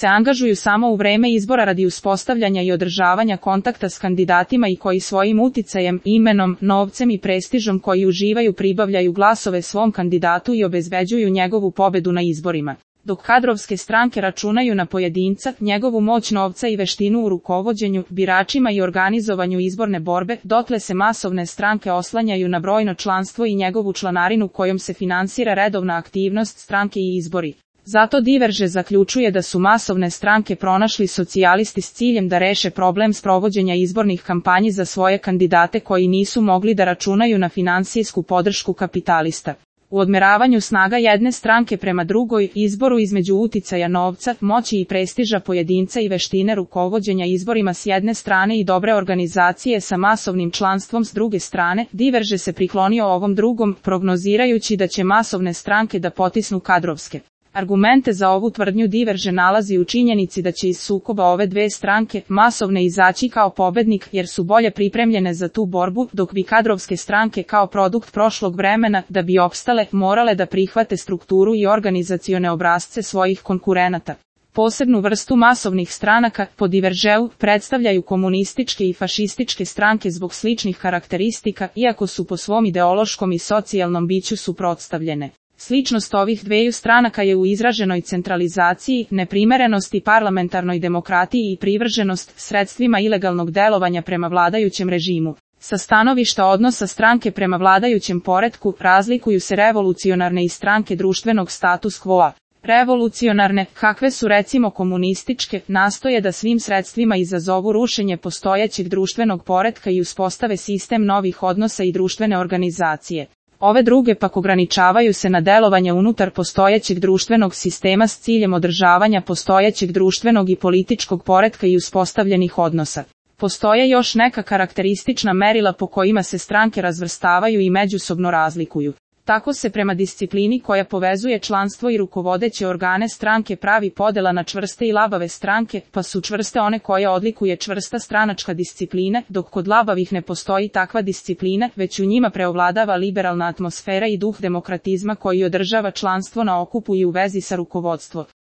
se angažuju samo u vreme izbora radi uspostavljanja i održavanja kontakta s kandidatima i koji svojim uticajem, imenom, novcem i prestižom koji uživaju pribavljaju glasove svom kandidatu i obezbeđuju njegovu pobedu na izborima. Dok kadrovske stranke računaju na pojedinca, njegovu moć novca i veštinu u rukovođenju, biračima i organizovanju izborne borbe, dotle se masovne stranke oslanjaju na brojno članstvo i njegovu članarinu kojom se finansira redovna aktivnost stranke i izbori. Zato Diverže zaključuje da su masovne stranke pronašli socijalisti s ciljem da reše problem sprovođenja izbornih kampanji za svoje kandidate koji nisu mogli da računaju na finansijsku podršku kapitalista. U odmeravanju snaga jedne stranke prema drugoj, izboru između uticaja novca, moći i prestiža pojedinca i veštine rukovođenja izborima s jedne strane i dobre organizacije sa masovnim članstvom s druge strane, Diverže se priklonio ovom drugom, prognozirajući da će masovne stranke da potisnu kadrovske. Argumente za ovu tvrdnju Diverže nalazi u činjenici da će iz sukoba ove dve stranke, masovne, izaći kao pobednik jer su bolje pripremljene za tu borbu, dok bi kadrovske stranke kao produkt prošlog vremena, da bi opstale, morale da prihvate strukturu i organizacione obrasce svojih konkurenata. Posebnu vrstu masovnih stranaka, po Diveržeu, predstavljaju komunističke i fašističke stranke zbog sličnih karakteristika, iako su po svom ideološkom i socijalnom biću suprotstavljene. Sličnost ovih dveju stranaka je u izraženoj centralizaciji, neprimerenosti parlamentarnoj demokratiji i privrženost sredstvima ilegalnog delovanja prema vladajućem režimu. Sa stanovišta odnosa stranke prema vladajućem poretku, razlikuju se revolucionarne i stranke društvenog status quo-a. Revolucionarne, kakve su recimo komunističke, nastoje da svim sredstvima izazovu rušenje postojećeg društvenog poretka i uspostave sistem novih odnosa i društvene organizacije. Ove druge pak ograničavaju se na delovanje unutar postojećeg društvenog sistema s ciljem održavanja postojećeg društvenog i političkog poretka i uspostavljenih odnosa. Postoje još neka karakteristična merila po kojima se stranke razvrstavaju i međusobno razlikuju. Tako se prema disciplini koja povezuje članstvo i rukovodeće organe stranke pravi podela na čvrste i labave stranke, pa su čvrste one koje odlikuje čvrsta stranačka disciplina, dok kod labavih ne postoji takva disciplina, već u njima preovladava liberalna atmosfera i duh demokratizma koji održava članstvo na okupu i u vezi sa rukovodstvom.